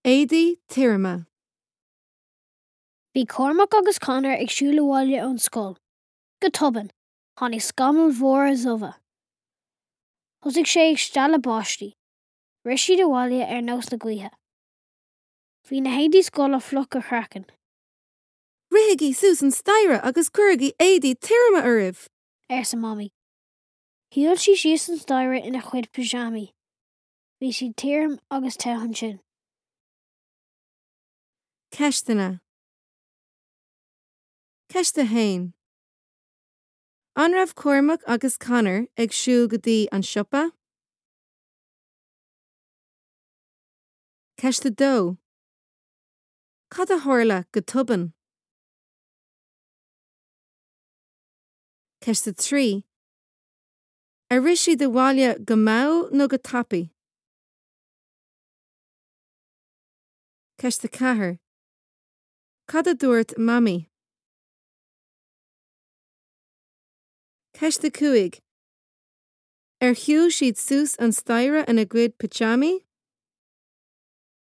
Éadaí tirime. Bhí Cormac agus Conor ag siúl abhaile ón scoil. Go tobann, tháinig scamaill mhóra dhubha. Thosaigh sé ag stealladh báistí. Rith siad abhaile ar nós na gaoithe. Bhí na héadaí scoile fliuch go craiceann. Rithigí suas an staighre agus cuirigí éadaí tirime oraibh! arsa Mamaí. Shiúil sí síos an staighre ina cuid pajamaí. Bhí siad tirim agus te ansin. Ceisteanna Ceist 1. An raibh Cormac agus Conor ag siúl go dtí an siopa? Ceist 2. Cad a tharla go tobann? Ceist 3. Ar rith siad abhaile go mall nó go tapaidh? Ceist 4. Cad a dúirt Mamaí? Ceist 5. Ar shiúil siad suas an staighre ina gcuid pitseámaí?